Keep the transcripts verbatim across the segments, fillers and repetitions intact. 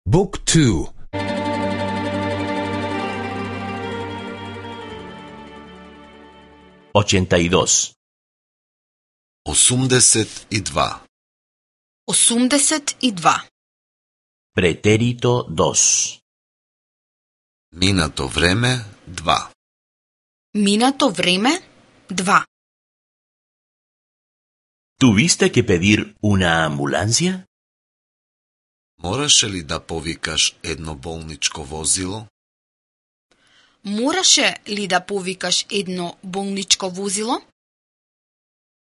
Book two. ochenta y dos. осумдесет и два. осумдесет и два. Pretérito dos. Минато време два. Минато време два. ¿Tuviste que pedir una ambulancia? Мораше ли да повикаш едно болничко возило? Мораше ли да повикаш едно болничко возило?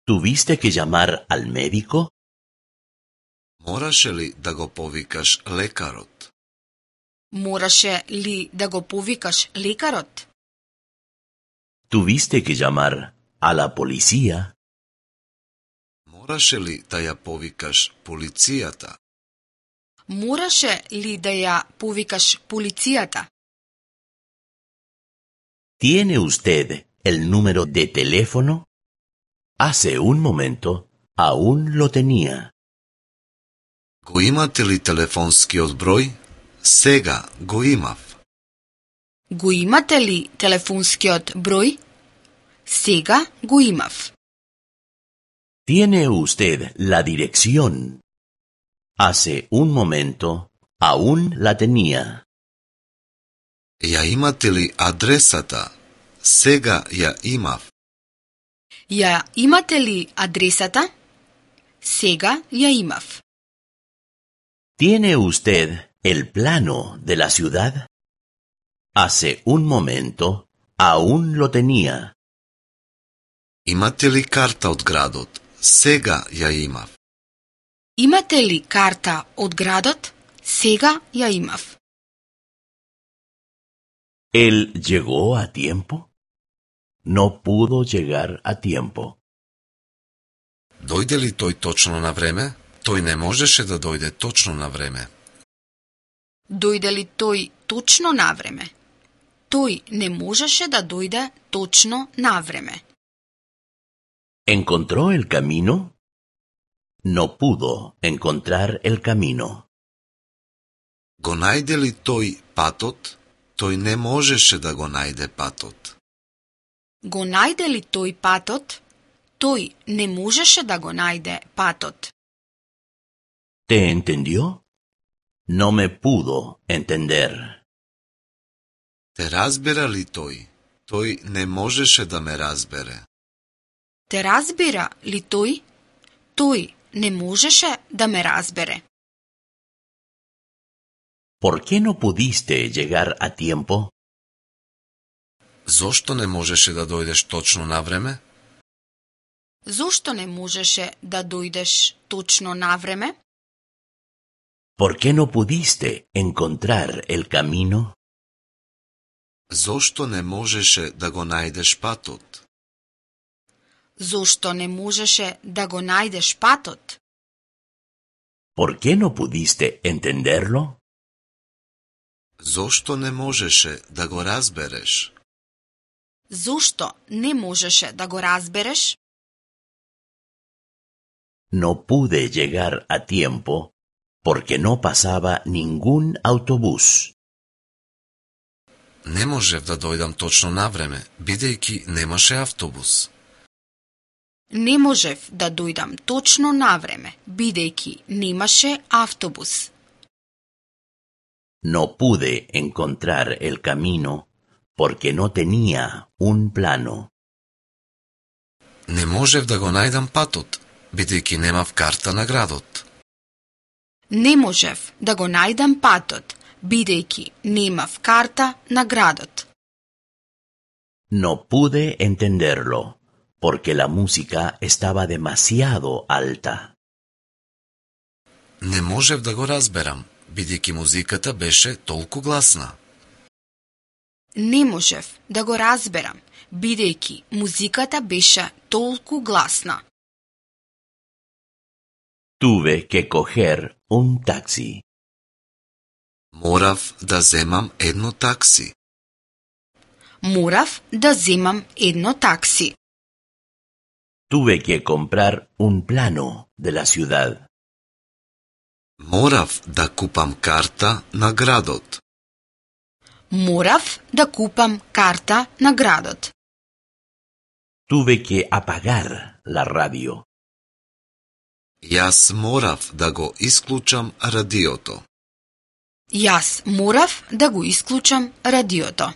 ¿Tuviste que llamar al médico? Мораше ли да го повикаш лекарот? Мораше ли да го повикаш лекарот? ¿Tuviste que llamar a la policía? Мораше ли да ја повикаш полицијата? Мораше ли да ја повикаш полицијата? ¿Tiene usted el número de teléfono? Hace un momento aún lo tenía. Го имате ли телефонскиот број? Сега го имав. Го имате ли телефонскиот број? Сега го имав. ¿Tiene usted la dirección? Hace un momento aún la tenía. Ја имате ли адресата? Сега ја имав. Ја имате ли адресата? Сега ја имав. ¿Tiene usted el plano de la ciudad? Hace un momento aún lo tenía. Имате ли карта од градот? Сега ја имав. Имате ли карта од градот? Сега ја имав. ¿Él llegó a tiempo? No pudo llegar a tiempo. Дојде ли тој точно на време? Тој не можеше да дојде точно на време. Дојде ли тој точно на време? Тој не можеше да дојде точно на време. ¿Encontró el camino? No pudo encontrar el camino. Го најде ли тој патот? Тој не можеше да го најде патот. Го најде ли тој патот? Тој не можеше да го најде патот. ¿Te entendió? No me pudo entender. Те разбира ли тој? Тој не можеше да ме разбере. Те разбира ли тој? Тој не можеше да ме разбере. ¿Por qué no pudiste llegar a tiempo? Зошто не можеше да дојдеш точно на време? Зошто не можеше да дојдеш точно на време? ¿Por qué no pudiste encontrar el camino? Зошто не можеше да го најдеш патот? Зошто не можеше да го најдеш патот? ¿Por qué no pudiste entenderlo? Зошто не можеше да го разбереш? Зошто не можеше да го разбереш? No pude llegar a tiempo porque no pasaba ningún autobús. Не можев да дојдам точно на време, бидејќи немаше автобус. Не можев да дојдам точно на време, бидејќи немаше автобус. No pude encontrar el camino porque no tenía un plano. Не можев да го најдам патот, бидејќи немав карта на градот. Не можев да го најдам патот, бидејќи немав карта на градот. No pude entenderlo porque la música estaba demasiado alta. Не можев да го разберам, бидејќи музиката беше толку гласна. Не можев да го разберам, бидејќи музиката беше толку гласна. Tuve que coger un taxi. Морав да земам едно такси. Морав да земам едно такси. Tuve que comprar un plano de la ciudad. Морав да купам карта на градот. Морав да купам карта на градот. Tuve que apagar la radio. Јас морав да го исклучам радиото. Јас морав да го исклучам радиото.